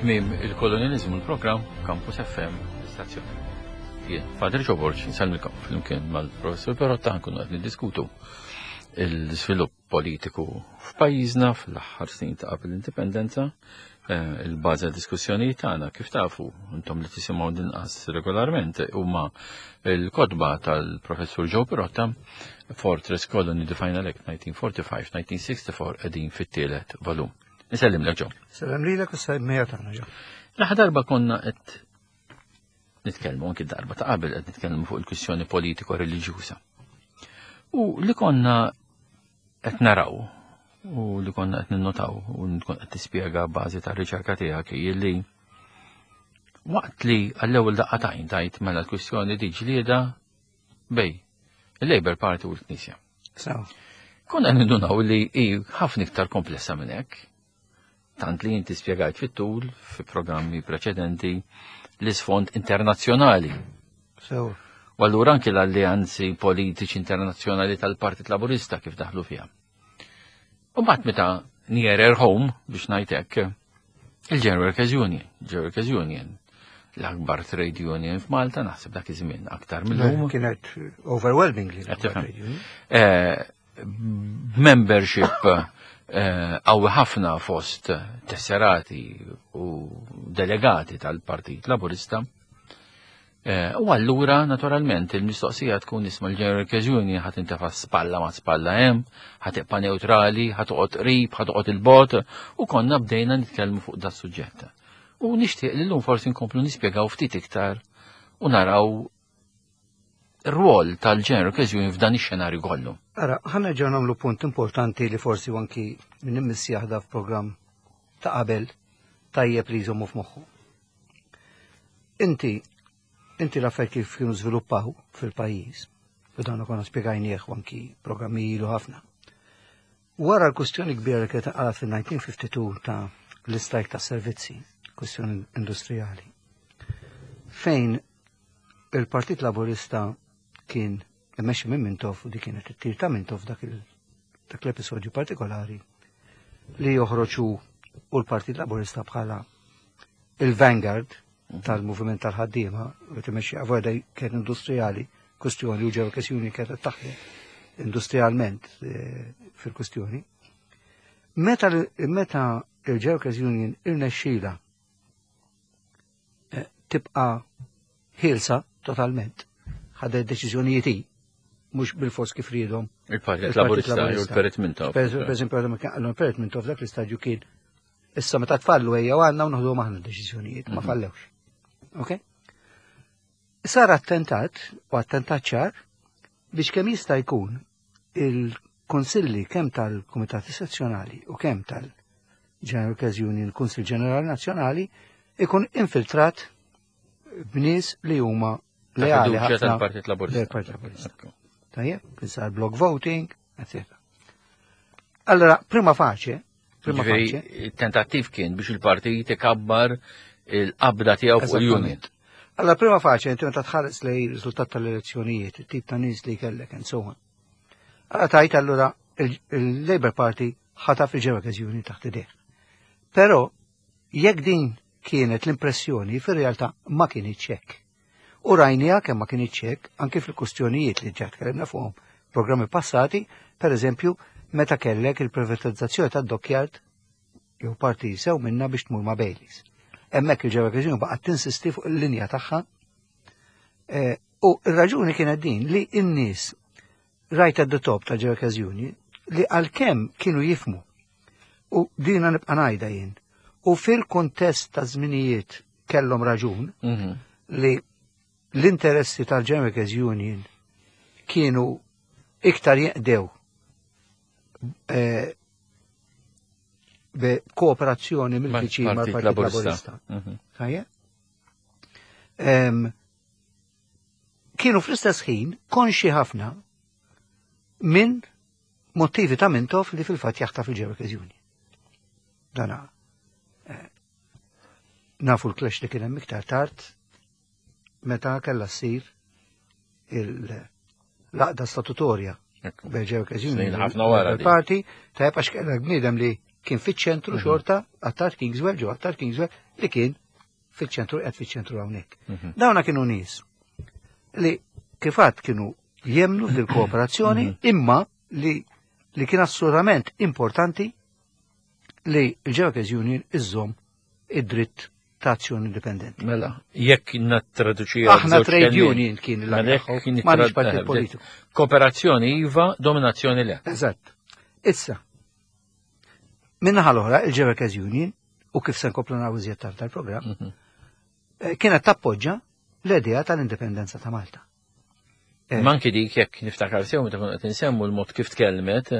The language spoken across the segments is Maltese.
Tmiem il-kolonializmu l-programm Campus FM l-istazzjon. Jien, Father Ġoborġ, nsellmilkom flimkien mal-Professur Perotta nkunu qed niddiskutu l-iżvilupp politiku f'pajjiżna fl-aħħar snin ta' qabel l-indipendenza, eh, il-bażi għad-diskussjonijiet tagħna kif tafu intom li tisimgħu dinqas regolarment huma l-kotba tal-Professur Joe Pirotta Fortress Colony The Final Act 1945-1964 qegħdin fit-tielet volum. Nsellimlek Joe. Sellem lilek u semmija tagħna Joe. L-aħħar darba konna qed nitkellmu anki darba ta' qabel qed nitkellmu fuq il-kwistjoni politiko reliġjuża. U li konna qed naraw u li konna qed ninnotaw u tkun qed tispjega bażi tar-riċerka tiegħek hi li waqt li għall-ewwel daqqa tajn tajt mela l-kwistjoni di ġlieda bej il-Labour Party u l-Knisja. Konna nindunaw li hi ħafna iktar komplessa minn hekk. Tant li inti spjegajt fit-tul fi programmi preċedenti l-isfond internazzjonali. So. U allura anki l-alleanzi politiċi internazzjonali tal-Partit Laburista kif daħlu fiha. U mbagħad meta nearer home biex ngħid hekk, il-General Workers Union, General Workers Union, l-akbar trade union f'Malta naħseb dak iż-żmien aktar mill-lum. Kienet overwhelmingly. Eh, membership eh, qawwi ħafna fost tesserati u delegati tal-Partit Laburista. Eh, u allura, naturalment, il-mistoqsija tkun isma l-General Workers Union ħat intefa spalla ma spalla hemm, ħat ibqa' neutrali, ħat toqgħod qrib, ħat toqgħod il-bot, u konna bdejna nitkellmu fuq da suġġett. U nixtieq li llum forsi nkomplu nispjegaw ftit iktar u naraw ir-rwol tal-General Workers Union f'dan ix-xenarju kollu. Ara, ħa nerġgħu nagħmlu punt importanti li forsi anki minn immissi jaħda f'programm ta' qabel tajjeb li jżommu f'moħħu. Inti, inti l-affarijiet kif kienu żviluppaw fil-pajjiż, u dan konna spjegajnieh anki programmi ilu ħafna. Wara l-kustjoni kbira li kienet inqalgħet fil-1952 ta' l-istrajk ta' servizzi, kustjoni industrijali, fejn il-Partit Laburista kien immexxi minn Mintoff u di kienet it-tir ta' Mintoff dak dak l-episodju partikolari li joħroġ u l-Partit Laburista bħala il-vanguard tal-moviment tal-ħaddiema u timexxi għavoda kien industrijali, kustjoni u ġew kwestjoni kienet taħdem industrialment eh, fil-kustjoni. Meta meta il-Workers Union irnexxila eh, tibqa' ħielsa totalment, ħadet deċiżjonijiet hi, mhux bil-fors kif riedhom. Il-Partit Laburista jew il-Perit Mintoff. Per eżempju, il-Perit Mintoff dak l-istadju kien Issa meta tfallu ejja għandna u noħdu maħna deċiżjonijiet, ma mhm. fallewx. Ok? Sar attentat, u attentat ċar, biex kemm jista' jkun il-konsilli kemm tal-Kumitati Sezzjonali u kemm tal-General Workers Union, Kunsill Ġenerali Nazzjonali, ikun infiltrat b'nies li huma leali ħafna tal-Partit Laburista. Partit Laburista. Tajjeb, kien sar block voting, etc. Allora, prima faċe, prima faċe. Il-tentattiv kien biex il-partit ikabbar il-qabda tiegħu fuq il-unit. Allora, prima faċe, inti meta tħares lej riżultat tal-elezzjonijiet, il-tip ta' nies li kellek, and so on. Allora tajt allura il-Labour Party ħataf il-Ġewekes Union taħt idejh. Però jekk din kienet l-impressjoni fir-realtà ma kinitx hekk. U rajniha kemm ma kinitx hekk anki fil-kustjonijiet li ġa tkellimna fuqhom programmi passati, per eżempju, meta kellek il-privatizzazzjoni tad-dockyard jew parti sew minna biex tmur ma' Baileys. Hemmhekk il-ġewwa Reġjun baqgħet tinsisti fuq il-linja tagħha. Eh, u r-raġuni kienet din li n-nies right at the top ta' Workers Union li għalkemm kienu jifmu u dina nibqa' ngħidha jien u fil-kuntest ta' żminijiet kellhom raġun mhm. li l-interessi tal-Workers Union kienu iktar jeqdew eh, kooperazzjoni mill-viċin mal-Partit Laburista. Mhm. Kienu fl-istess ħin konxi ħafna minn motivi ta' Mintoff li fil-fatt jaħtaf il-Workers Union. Dana eh, nafu l-clash li kien hemm iktar tard meta kellha ssir il-laqda statutorja bejn Workers Union. Ħafna wara. Parti, tajjeb għax kellek bniedem li. Kien fiċ-ċentru xorta Attard Kingswell, ġo Attard Kingswell, li kien fiċ-ċentru qed fiċ-ċentru hawnhekk. Dawna kienu nies li kifat kienu jemnu fil-kooperazzjoni imma li kien assolutament importanti li l-Workers Union iżżomm id-dritt ta' azzjoni indipendenti. Mela, jekk nattraduċi Aħna trade union kien Mela, jekk kien l ma partit politiku. Kooperazzjoni iva, dominazzjoni le. Eżatt. Issa, minnaħa l-oħra, il-Workers Union, u kif se nkomplu naraw iżjed tard tal-programm, kienet tappoġġa l-idea tal-indipendenza ta' Malta. Manki dik jekk niftakar sew meta konna qed insemmu l-mod kif tkellmet.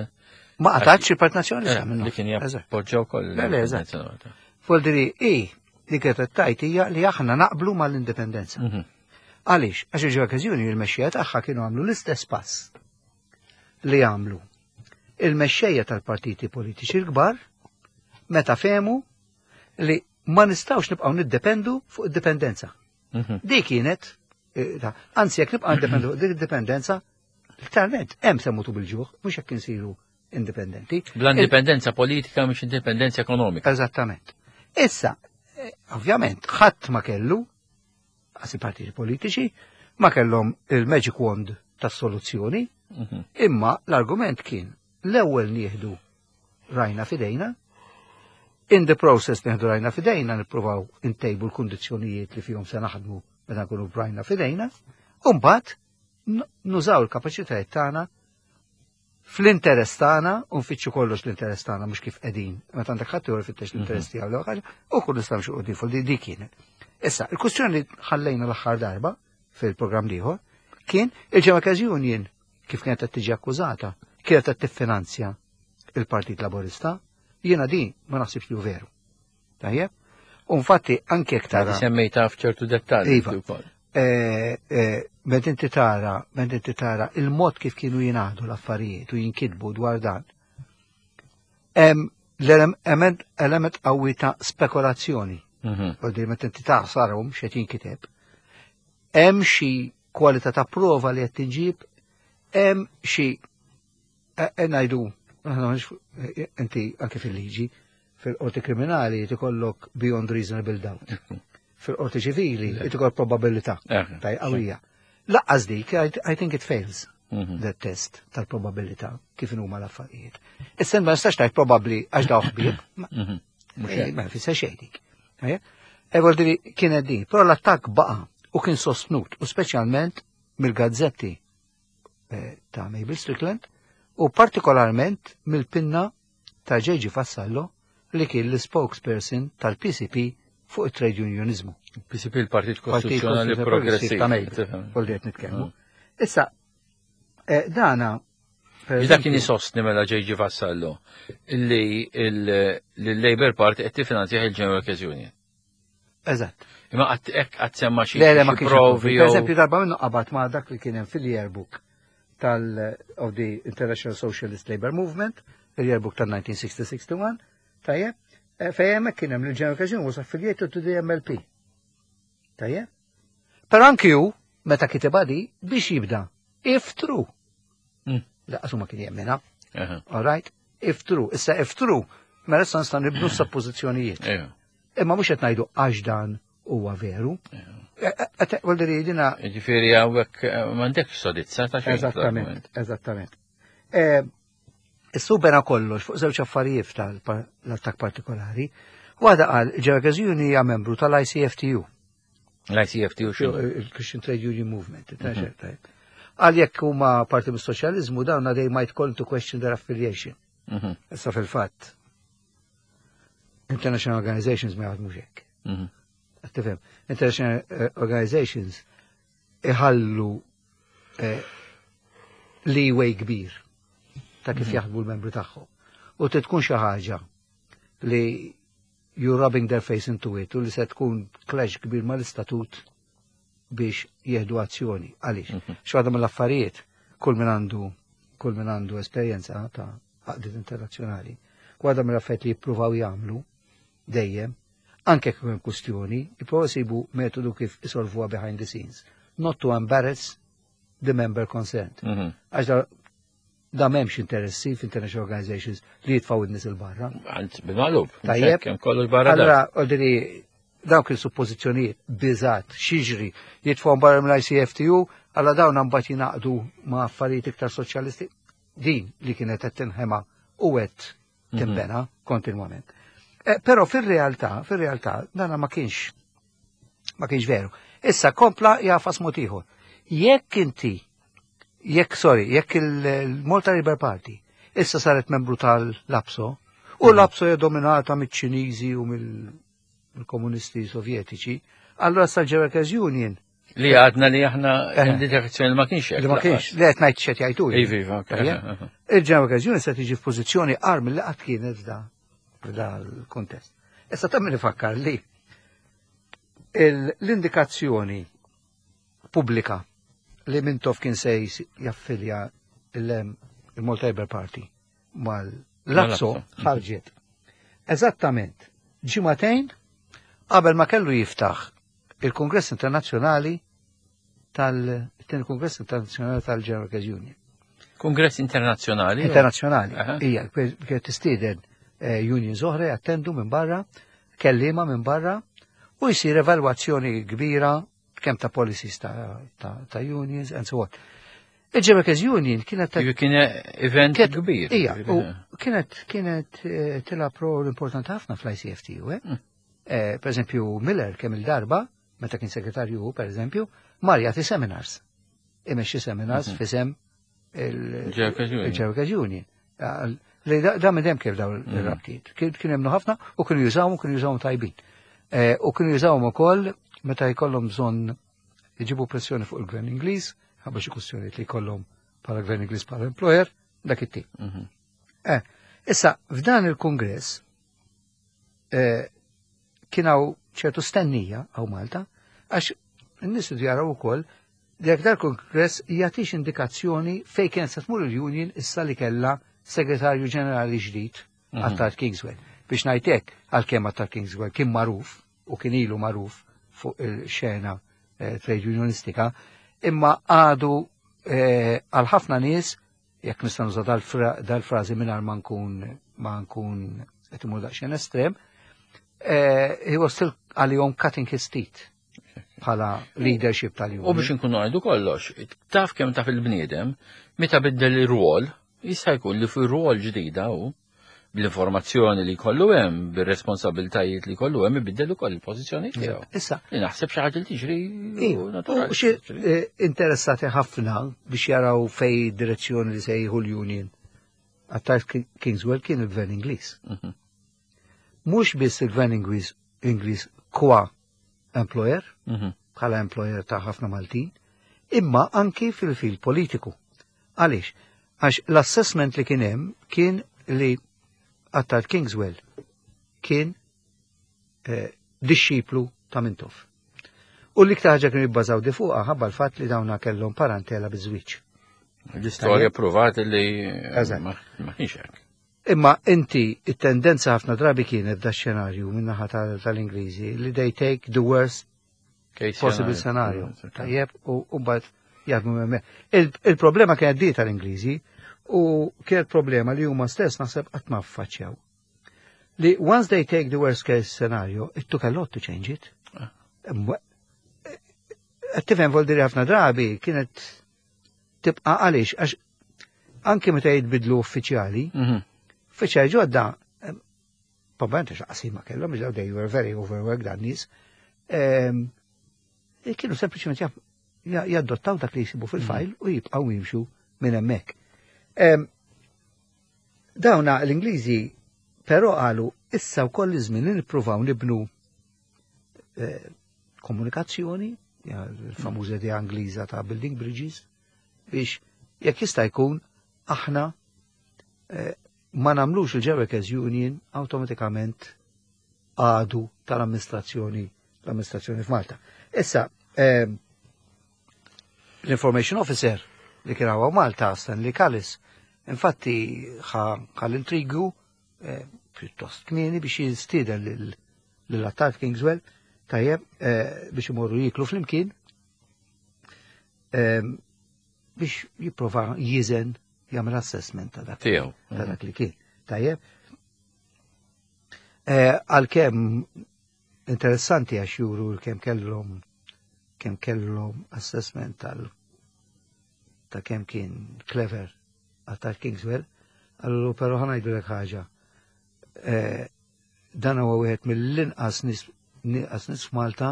Ma qatgħatx il-Partit Nazzjonalista minnu. Li kien jappoġġa wkoll. Le, le, eżatt. Foldiri, i li kienet tajt hija li aħna naqblu mal-indipendenza. Għaliex? Għax il-Workers Union il-mexxejja tagħha kienu għamlu l-istess pass li għamlu il-mexxejja tal-partiti politiċi l-kbar meta fehmu li ma nistgħux nibqgħu niddependu fuq id-dipendenza. Dik kienet, anzi jekk nibqgħu niddependu fuq dik id-dipendenza, literalment hemm se mutu bil-ġuħ, mhux jekk insiru indipendenti. Bla indipendenza politika mhux indipendenza ekonomika. Eżattament. Issa, ovvjament, ħadd ma kellu, għas partiti politiċi, ma kellhom il-magic wand tas-soluzzjoni, imma l-argument kien l-ewwel nieħdu rajna fidejna, in the process nieħdu rajna fidejna nippruvaw intejbu l-kundizzjonijiet li fihom se naħdmu meta nkunu rajna fidejna, u mbagħad nużaw il-kapaċitajiet tagħna fl-interess tagħna u nfittxu kollox l-interess tagħna mhux kif qegħdin. Meta għandek ħadd ieħor ifittex l-interess tiegħu l ħaġa u kull nistgħu xi quddiem fuq di kienet. Issa, il-kwistjoni li ħallejna l-aħħar darba fil-programm ieħor kien il-Workers Union kif kienet qed tiġi akkużata, kienet qed tiffinanzja il-Partit Laburista, jiena din ma naħsibx li hu veru. Tajjeb? U infatti anke jekk tara. Semmejta f'ċertu dettalji. Iva. Meta inti tara, meta inti tara il-mod kif kienu jingħadu l-affarijiet u jinkitbu dwar dan. Hemm l-element element qawwi ta' spekulazzjoni. U di meta inti taħsarhom x'qed jinkiteb. Hemm xi kwalità ta' prova li qed tinġib, hemm xi ngħidu aħna inti anke fil-liġi fil-qorti kriminali tikollok beyond reasonable doubt. Fil-qorti ċivili tikollok probabilità. Taj qawwija. Lanqas dik, I think it fails the test tal-probabilità kif huma l-affarijiet. Issa ma nistax tgħid probabbli għax daw ħbieb. Ma jfisser xejn dik. E vuol kienet din, però l-attakk baqa' u kien sostnut u speċjalment mill-gazzetti ta' Mabel Strickland u partikolarment mill-pinna ta' J.G. Vassallo li kien l-spokesperson tal-PCP fuq it-trade unionizmu. PCP il-Partit Kostituzzjonali Progressiv. Ta' Mabel, vol li qed nitkellmu. Issa, dana Dak kien isostni mela J.G. Vassallo li l-Labour Party qed tiffinanzjah il-General Workers Union. Eżatt. Imma qatt hekk qatt semma xi Le, le, ma kienx provi. Per eżempju, darba minnu qabad ma dak li kien hemm fil-yearbook tal of the International Socialist Labour Movement, il-yearbook tal-1960-61, tajjeb, fejn hemmhekk kien hemm l-General Workers Union was affiliated to the MLP. Tajjeb? Però anki hu, meta kiteb di, biex jibda, if true. Lanqas ma kien jemmina. All right? If true. Issa if true, mela issa nista' nibnu suppożizzjonijiet. Imma mhux qed ngħidu għax dan huwa veru. Vuol dire dina. Ġifieri hawnhekk m'għandekx sodizza ta' xejn. Eżattament, eżattament. Issu bena kollox fuq żewġ affarijiet tal-attak partikolari. Waħda qal Workers Union hija membru tal-ICFTU. L-ICFTU x'inhu? Il-Christian Trade Union Movement. Għal jekk huma parti mis-soċjaliżmu dawn they might call to question their affiliation. Issa fil-fatt International Organizations ma jaħdmux hekk. Tifhem, International Organizations iħallu leeway kbir ta' kif jaħdmu l-membri tagħhom. U tkun xi ħaġa li you're rubbing their face into it u li se tkun clash kbir mal-istatut biex jieħdu azzjoni. Għaliex? X'waħda mill-affarijiet kull min għandu esperjenza ta' għaqdiet internazzjonali, waħda mill-affarijiet li jippruvaw jagħmlu dejjem, anke kif hemm kwistjoni, jippruvaw isibu metodu kif isolvuha behind the scenes. Not to embarrass the member concerned. Għax Da m'hemmx interessi f'international organizations li jitfgħu n-nies il-barra. Għand bil-maqlub. Tajjeb. Kemm kollox barra. Allora, ordini, dawk il-suppożizzjonijiet biżat, xiġri, jitfgħu barra mill-ICFTU, alla dawn mbagħad jingħaqdu ma' affarijiet iktar soċjalisti. Din li kienet qed tinħema u qed timbena kontinwament. Però fir-realtà, fir-realtà, dana ma kienx veru. Issa kompla jafas mod ieħor. Jekk inti, jekk, sorry, jekk il-Malta Labour Party issa saret membru tal-LAPSO, u l-LAPSO hija dominata miċ-Ċiniżi u mill-komunisti sovjetiċi, allora sa Workers Union Li għadna li aħna indikazzjoni li ma kienx hekk. Li ma kienx, li qed ngħid x'qed jgħidu. Iva, ok. Il-General Workers Union se tiġi f'pożizzjoni agħar milli qatt kienet f'da l-kontest. Issa ta' min ifakkar li l-indikazzjoni pubblika li Mintoff kien se jaffilja il-Malta Labour Party mal-LAPSO ħarġet. Eżattament, ġimagħtejn qabel ma kellu jiftaħ il-Kongress Internazzjonali tal-Tieni Kongress Internazzjonali tal-General Workers Union. Kongress Internazzjonali? Internazzjonali, hija, kienet tistieden unions oħra jattendu minn barra, kellima minn barra, u jsir evalwazzjoni kbira kemm ta' policies ta' unions and so on. Il-General Workers Union kienet Kien event kbir. Ija, u kienet tilgħab rol importanti ħafna fl-ICFTU, eh? Per eżempju, Miller kemm il-darba, meta kien segretarju, per eżempju, mar jagħti seminars. Imexxi seminars f'isem il-General Workers Union. Li da minn dem kif daw il-rabtiet. Kien hemm ħafna u kienu jużawhom kienu jużawhom tajbin. U kienu jużawhom ukoll meta jkollhom bżonn jġibu pressjoni fuq il-gvern Ingliż, ħabba xi kwistjonijiet li jkollhom bħala gvern Ingliż bħala employer, dak it-tip. Issa, f'dan il-kongress kien hawn ċertu stennija hawn Malta, għax n-nies jaraw ukoll li jekk dal-kongress jagħtix indikazzjoni fejn kienet se tmur il-union issa li kellha segretarju ġenerali ġdid Attard Kingswell. Biex ngħidlek, għalkemm Attard Kingswell kien magħruf u kien ilu magħruf fuq il-xena trade unionistika, imma għadu għal ħafna nies, jekk nista' nuża dal-frażi mingħajr ma nkun qed imur daqsxejn estrem, he was still għalihom cutting his teeth bħala leadership tal-union. U biex nkunu għajdu kollox, taf kemm taf il-bniedem, meta biddel ir-rwol, jista' jkun li fi rwol ġdida u bl-informazzjoni li kollu hemm, bir-responsabiltajiet li kollu hemm, ibiddel ukoll il-pożizzjoni tiegħu. Issa, Li naħseb xi ħaġa li tiġri Iva, naturali. U xi interessati ħafna biex jaraw fej direzzjoni li se jieħu l-union. Attard Kingswell kien il-gvern Ingliż. Mhux biss il-gvern Ingliż qua employer, bħala employer ta' ħafna Maltin, imma anki fil-fil politiku. Għaliex? Għax l-assessment li kien hemm kien li Attard Kingswell kien disċiplu ta' Mintoff. U l-iktar ħaġa kienu jibbażaw di fuqha ħabba l-fatt li dawna kellhom parentela biż-żwieġ. L-istorja provat li ma kienx hekk. Imma inti it-tendenza ħafna drabi kienet da xenarju min-naħa tal-Ingliżi li they take the worst Case possible scenario. Tajjeb, u mbagħad jaħdmu hemmhekk. Il-problema kienet di tal-Ingliżi u kienet problema li huma stess naħseb qatt ma ffaċċjaw. Li once they take the worst case scenario, it took a lot to change it. Qed tifhem, voldiri ħafna drabi kienet tibqa' għaliex għax anke meta jitbidlu uffiċjali, uffiċjali ġodda, probabbilment għax qasima kellhom, biex they were very overworked dan nies, kienu sempliċement jaddottaw dak li jisibu fil-fajl u jibqgħu jimxu minn hemmhekk. Dawna l-Ingliżi però qalu issa wkoll iż-żmien li nippruvaw nibnu komunikazzjoni, il-famuża idea Ingliża ta' building bridges, biex jekk jista' jkun aħna ma nagħmlux il-Workers Union awtomatikament għadu tal-amministrazzjoni l-amministrazzjoni f'Malta. Issa, l-Information Officer li kien hawn Malta, Stanley Callis, infatti ħa l-intrigu pjuttost kmieni biex jistieden lil Attard Kingswell, tajjeb, biex imorru jiklu flimkien, biex jipprova jiżen jagħmel assessment ta' dak. Tiegħu. Ta' dak li kien. Tajjeb. Eh, għalkemm interessanti għax juru kemm kellhom kemm kellhom assessment tal ta' kemm kien clever għal Kingswell, għallu però ħa ngħidulek ħaġa. Eh, dan huwa wieħed mill-inqas nies nies f'Malta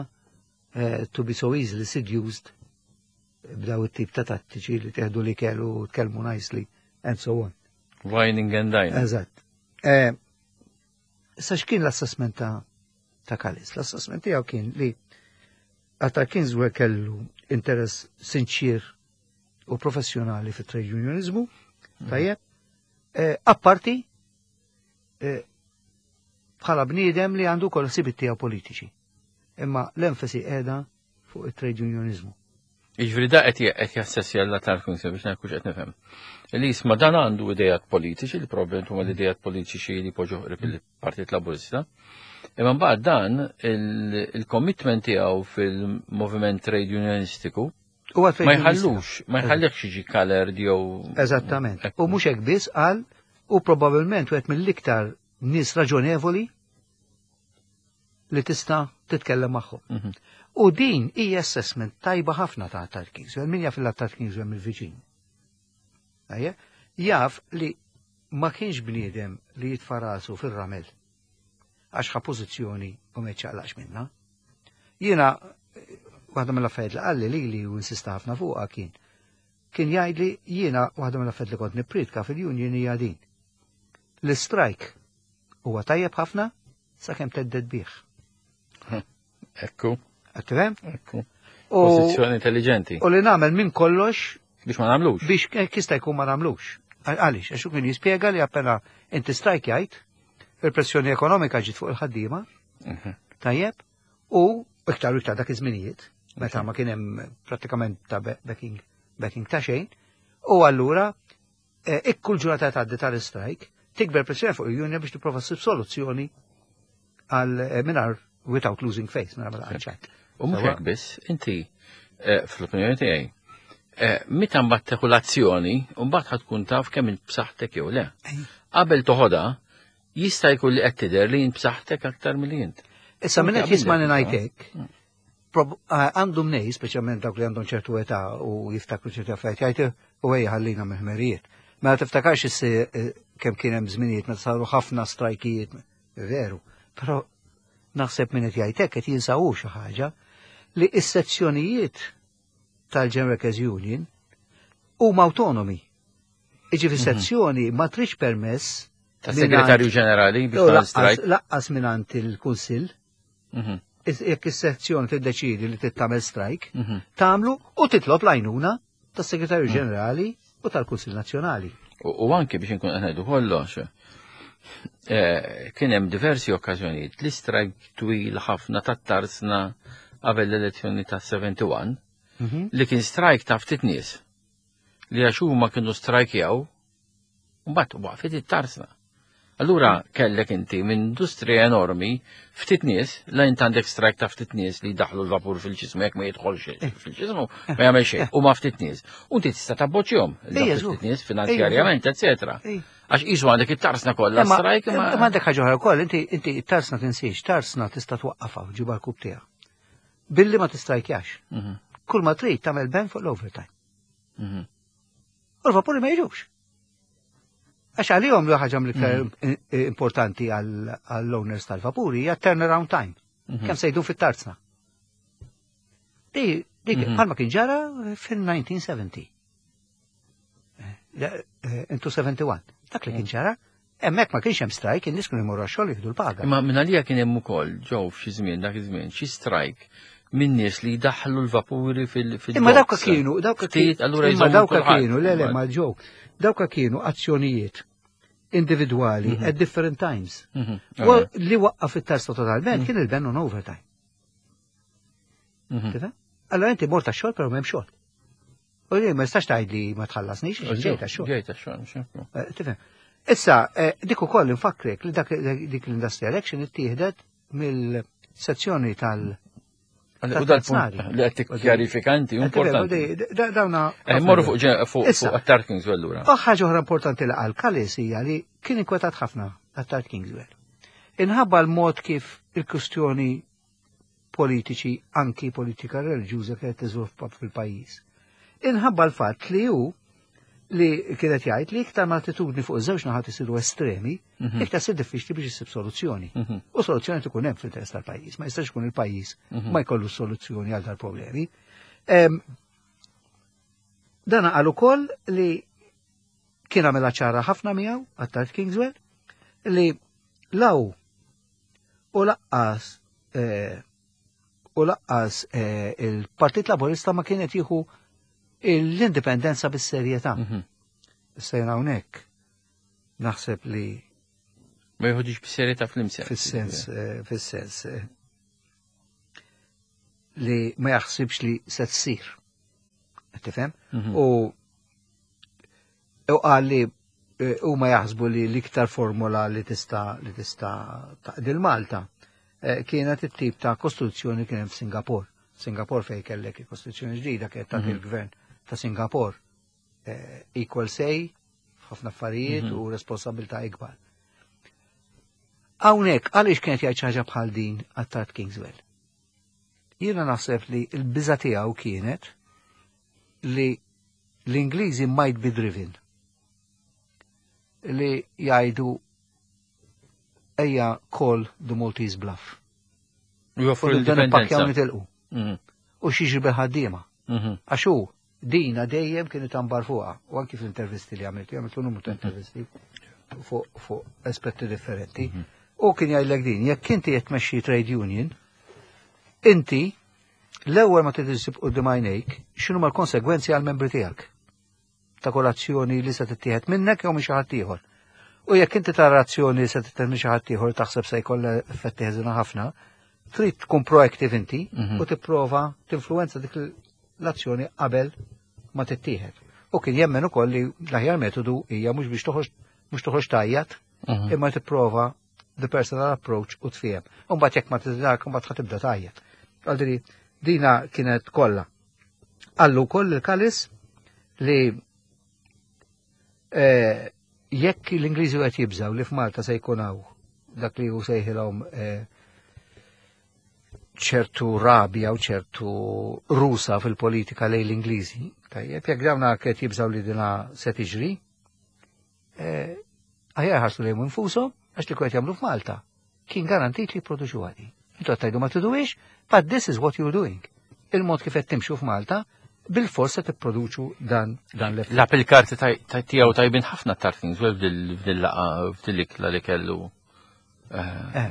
eh, to be so easily seduced b'daw it-tip ta' tattiċi li teħdu li kellu tkellmu nicely and so on. Wining and dining. Eżatt. Eh, issa x'kien l-assessment ta' ta' Kalis? L-assessment tiegħu kien li Arthur Kingswell kellu interess sinċir u professjonali fit trade unionizmu, tajjeb, eh, apparti eh, bħala bniedem li għandu kol ħsibiet tiegħu politiċi. Imma l-enfasi qiegħda fuq it-trade unionizmu. Jiġifieri da qed qed jassessja l tal-Kunsil biex ngħid qed nifhem. Li jisma' dan għandu idejat politiċi, li probabbilment huma l-idejat politiċi li poġġu qrib il-Partit Laburista. Imma mbagħad dan il-commitment tiegħu fil-moviment trade unionistiku U għal ma jħallux, ma jħallekx jiġi colored jew. Eżattament. U mhux hekk biss qal u probabbilment wieħed mill-iktar nies raġonevoli li tista' titkellem magħhom. U din hija assessment tajba ħafna ta' Arthur Kingswell, min jaf il-Arthur Kingswell mill-viċin. Ejja, jaf li ma kienx bniedem li jitfa' rasu fir-ramel għax ħa pożizzjoni u ma jċaqlaqx minna. Jiena waħda mill-affarijiet li qalli li li u insista ħafna fuqha kien kien jgħidli jiena waħda mill-affarijiet li kont nippritka fil-union hija din. L-strike huwa tajjeb ħafna sakemm thedded bih. Ekku, Qed tifhem? ekku. U Pożizzjoni intelligenti. u li nagħmel minn kollox Biex ma nagħmlux. biex kista jkun ma nagħmlux. Għaliex, għax hu kien jispjega li appena inti strike jgħid, il-pressjoni ekonomika ġiet fuq il-ħaddiema, tajjeb, u iktar u iktar dak iż-żminijiet, meta ma kien hemm prattikament ta' backing, backing ta' xejn, u allura eh, ikkul ġurnata tgħaddi tal-strike, tikber pressjoni fuq il-union biex tipprova ssib soluzzjoni għal eh, mingħajr without losing face, mingħajr ma taqgħod. U mhux hekk biss, inti eh, fl-opinjoni tiegħi, meta mbagħad tieħu l-azzjoni, u mbagħad ħa tkun taf kemm int b'saħħtek jew le. Qabel toħodha, jista' jkun li qed tidher li int b'saħħtek aktar milli int. Issa minn qed Anke jisma' qabel ngħidlek, għandhom nej, speċjalment dawk li għandhom ċertu età u jiftakru ċertu affarijiet, jgħid u ejja ħallina mill-ħmerijiet. Mela tiftakarx issi kemm kien hemm żminijiet meta saru ħafna strajkijiet, veru, però naħseb minn qed jgħid hekk qed jinsawu xi ħaġa li s-sezzjonijiet tal-General Workers Union huma autonomi. Iġifieri sezzjoni ma tridx permess Ta' segretarju ġenerali biex tagħmel strike. Laqqas mingħand il-Kunsill. Jekk is-sezzjoni tiddeċidi li tittamel strike, tagħmlu u titlob l-għajnuna tas-Segretarju Ġenerali u tal-Kunsill Nazzjonali. U anke biex inkun qed ngħidu kollox, kien hemm diversi okkażjonijiet li strike twil ħafna tat-tarsna qabel l-elezzjoni ta' 71 li kien strike ta' ftit nies li għax huma kienu strajkjaw mbagħad waqfet it-tarsna. Allura kellek inti minn industrija enormi ftit nies, la int għandek strike ta' ftit nies li daħlu l-vapur fil-ġismu jekk ma jidħolx fil-ġismu ma jagħmel xejn, u ma ftit nies. U inti tista' tabboċjhom ftit nies finanzjarjament, eċetera. Għax qisu għandek it-tarsna kollha strike ma. Ma għandek ħaġa oħra wkoll, inti inti it-tarsna tinsiex, tarsna tista' twaqqafha u ġiba l-kub tiegħek. Billi ma tistrajkjax. Kull ma trid tagħmel ban fuq l-overtime. U l-vapuri ma jiġux. Għax għalihom li ħaġa mill-iktar importanti għall-owners tal-vapuri hija turnaround time. Kemm se jdum fit-tarzna. Dik bħalma kien ġara fil-1970. Into 71. Dak li kien ġara, hemmhekk ma kienx hemm strike, in-nies kienu jmorru għax-xogħol jieħdu l-paga. Imma minn għalija kien hemm ukoll ġew f'xi żmien dak iż-żmien xi strike minn nies li jdaħħlu l-vapuri fil Imma dawka kienu, dawka Ftit, allura imma jżommu dawka kulħadd. kienu, le le ma ġew, dawka kienu azzjonijiet individwali at different times. U li waqqaf it-tarsna totalment kien il-ban on overtime. Tifhem? Allora inti mort għax-xogħol però m'hemm xogħol. U li ma jistax tgħid li ma tħallasnix, ġejt għax-xogħol. Ġejt għax-xogħol, mhux Tifhem? Issa, dik ukoll infakrek li dik l-industrial action ittieħdet mill-sezzjoni tal- U dal-punt li qed tikkjarifika inti importanti. Dawna. Eh, morru fuq fuq Attard Kingswell lura. Ħaġa oħra importanti li qal Kalis hija li kien inkwetat ħafna Attard Kingswell. Inħabba l-mod kif il-kwistjoni politiċi anki politika reliġjuża kienet tiżviluppa fil-pajjiż. Inħabba l-fatt li hu li kienet jgħid li iktar ma attitudni fuq iż-żewġ naħat isiru estremi, iktar sir diffiċli biex issib soluzzjoni. U soluzzjoni tkun hemm fl-interess tal-pajjiż, ma jistax ikun il-pajjiż ma jkollu soluzzjoni għal dal-problemi. Dan qal ukoll li kien għamilha ċara ħafna miegħu Attard Kingswell li law u laqqas eh, u laqqas eh, il-Partit Laburista ma kienet jieħu l-indipendenza bis-serjetà. Issa hawnhekk naħseb li Ma jħodix bis-serjetà fl-imsens. Fis-sens, eh, fis-sens li ma jaħsibx li se tsir. Tifhem? U u qal li eh, huma jaħsbu li l-iktar formula li tista' li tista' taqdil Malta eh, kienet it-tip ta' kostituzzjoni kien hemm f'Singapore. Singapore fejn kellek il-kostituzzjoni ġdida kienet tagħti il-gvern ta' Singapore eh, equal say f'ħafna affarijiet u responsabilità ikbar. Hawnhekk għaliex kienet jgħid xi ħaġa bħal din Attard Kingswell? Jiena naħseb li l-biża tiegħu kienet li l-Ingliżi might be driven li jgħidu ejja call the Maltese bluff. U joffru U dan ippakkjaw l-indipendenza. nitilqu. U x'jiġri bil-ħaddiema. Għax hu dina dejjem kien itambar fuqha u anki fl-intervisti li għamilt, għamilt numru ta' intervisti fuq fu aspetti differenti. U kien jgħidlek din, jekk inti qed tmexxi trade union, inti l-ewwel ma trid issib quddiem għajnejk x'inhu l-konsegwenzi għall-membri tiegħek ta' kull azzjoni li se tittieħed minnek jew minn xi ħadd ieħor. U jekk inti tara azzjoni li se tittieħed minn xi ħadd ieħor taħseb se jkollha effetti ħażina ħafna, trid tkun proactive inti u tipprova tinfluwenza dik l-azzjoni qabel ma tittieħed. U kien jemmen ukoll li l-aħjar metodu hija mhux biex toħroġ mhux toħroġ tajjat, imma tipprova the personal approach u tfiem. U mbagħad jekk ma tiżdak, mbagħad ħa tibda tajjat. Għaldiri, dina kienet kollha. Qallu wkoll il-Kalis li eh, jekk l-Ingliżi qed jibżaw li f'Malta se jkun hawn dak li hu sejħilhom eh, ċertu rabja u ċertu rusa fil-politika lejn l-Ingliżi, tajjeb, jekk dawna qed jibżaw li dina se tiġri, eh, aħjar ħarsu lejhom infushom għax li qed jagħmlu f'Malta. Kien garantit li jipproduċu għadi. Intu qed tgħidu ma triduhiex, but this is what you're doing. Il-mod kif qed timxu f'Malta, bil-fors se tipproduċu dan dan l-effett. Lagħab il-karti tiegħu tajbin ħafna Attard Kingswell f'dil-laqgħa f'dil-ikla li kellu. Eh.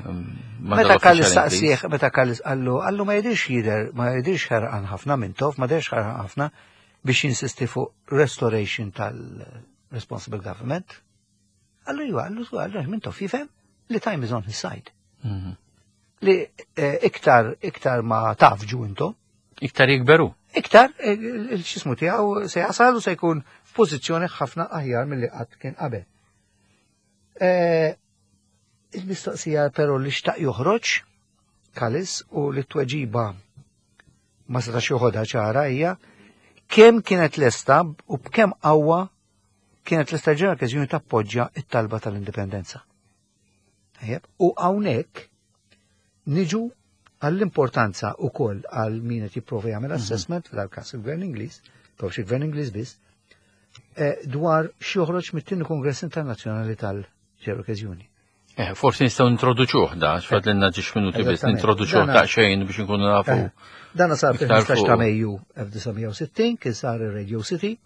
ma' Meta dal-uffiċjal Kallis Ingliż. saqsieħ, meta Kallis qallu, qallu ma jidirx jider, ma jidirx ħerqan ħafna Mintoff, ma jidirx ħerqan ħafna biex jinsisti fuq restoration tal-responsible government. Qallu iva, qallu qallu Mintoff jifhem li time is on his side. Li eh, iktar, iktar ma tafġu intom, Iktar jikberu. iktar eh, il-xismu tiegħu se jasal u se jkun f'pożizzjoni ħafna aħjar milli qatt kien qabel. Eh, Il-mistoqsija però li xtaq joħroġ Kalis u li t-tweġiba ma setax joħodha ċara hija kemm kienet lesta u b'kemm qawwa kienet lesta General Workers Union tappoġġja it-talba tal-indipendenza. Tajjeb, U hawnhekk niġu għall-importanza u koll għal min qed jipprova jagħmel assessment f'dal-każ il-Gvern Ingliż, prox il-Gvern Ingliż biss, eh, dwar x'joħroġ mit-tieni Kongress Internazzjonali tal-General Workers Union. Eh, forsi nistgħu introduċuh da, x'fadlilna ġiex minuti biss, Eżattament. nintroduċuh daqsxejn biex nkunu nafu. Eh, Dana sar Iktar fil-15 ta' fuq. Mejju 1960, kien sar ir-Radio City,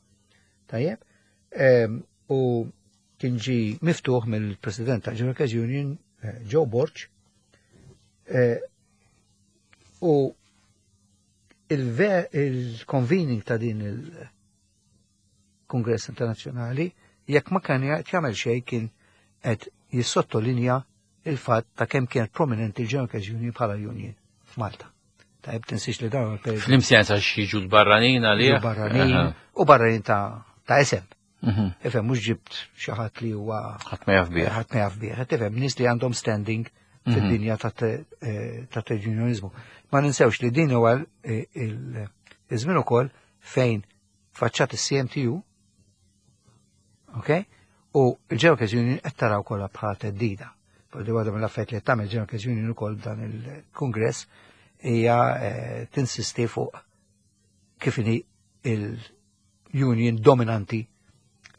tajjeb, em, u kien ġi miftuħ mill-President ta' General Workers Union, eh, Joe Borg, eh, u il-convening ta' din il-Kongress Internazzjonali, jekk ma kien jagħmel xejn kien qed jissottolinja il-fatt ta' kemm kienet prominenti il-General Workers Union bħala union f'Malta. Tajb tinsiex li dawn il-periodu Fl-imsens għax jiġu l-barranin għalih. barranin u barranin ta' ta' esem. Ifhem mhux ġibt xi ħadd li huwa Ħadd ma jaf bih. ħadd ma jaf bih. Tifhem nies li għandhom standing fid-dinja ta' trade unionizmu. Ma ninsewx li din huwa iż-żmien ukoll fejn faċċat is-CMTU, ok? U il-General Workers Union qed taraw kollha bħala theddida. Di waħda mill-affarijiet li qed tagħmel General Workers Union ukoll dan il-Kungress hija tinsisti fuq kif inhi il-union dominanti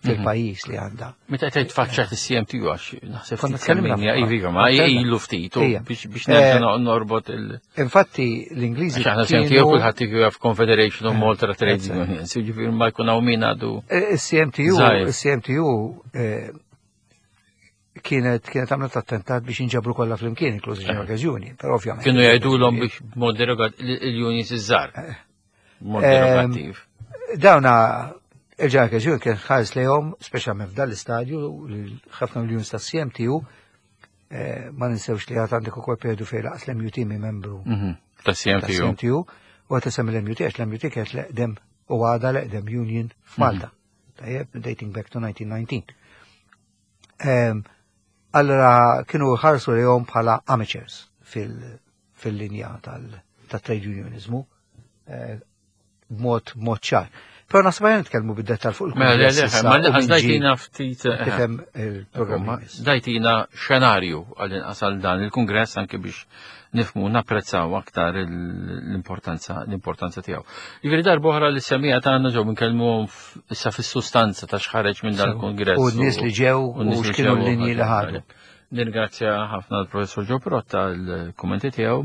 fil-pajjiż li għandha. Meta qed tfaċċat is-CMTU għax naħseb konna tkellimna iva, ma ilu ftit biex nerġa' norbot il- Infatti l-Ingliżi. Għax aħna CMTU kulħadd jaf Confederation of Malta Trade Unions, jiġifieri ma jkun hawn min għadu. Is-CMTU, is-CMTU kienet kienet għamlet attentat biex jinġabru kollha flimkien, inkluż il-General Workers Union, però ovvjament. Kienu jgħidulhom biex b'mod derogat il-unions iż-żgħar. Mod derogattiv. Dawna il-General Workers Union kien ħares lejhom, speċjalment f'dan l-istadju, ħafna mill-unions tas-CMTU, ma ninsewx li għad għandek ukoll periodu fejn laqas l-MUT mi membru Ta' CMTU. CMTU, u għad isem l-MUT għax l-MUT kienet l-eqdem u għada l-eqdem union f'Malta. Tajjeb, dating back to 1919. Allora kienu ħarsu lejhom bħala amateurs fil-linja tal-trade unionizmu b'mod mod ċar. Però naħseb ħajja nitkellmu bid-dettal fuq Mela, le, il-kungress le, issa ma u min ġie dajtina ftit tifhem il-programm. Dajtina xenarju għal-inqas għal dan il-kungress anke biex nifmu napprezzaw aktar l-importanza l-importanza tiegħu. Jiġifieri darba oħra li semija tagħna ġew minkellmuhom issa fis-sustanza ta' x'ħareġ minn dan il-kungress. U n-nies li ġew u n-nies u li x'kienu ġew l-linji li ħadu. Nirringrazzja ħafna l-professor Joe Pirotta l-kummenti tiegħu.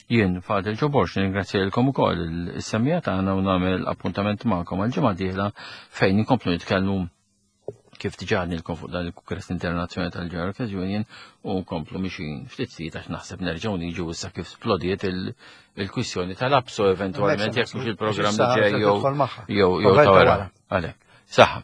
Jien Fadil Joe Borg nirringrazzja lilkom ukoll is-semija tagħna u nagħmel appuntament magħkom għal ġimgħa dieħla fejn inkomplu nitkellmu kif diġà għadnilkom fuq dan il-Kungress Internazzjonali tal-General Workers Union u nkomplu mixin ftit ftit għax naħseb nerġgħu niġu issa kif splodiet il-kwistjoni tal-APSO eventwalment jekk mhux il-programm li ġej jew jew jew ta' wara. Għalhekk. Saħħa.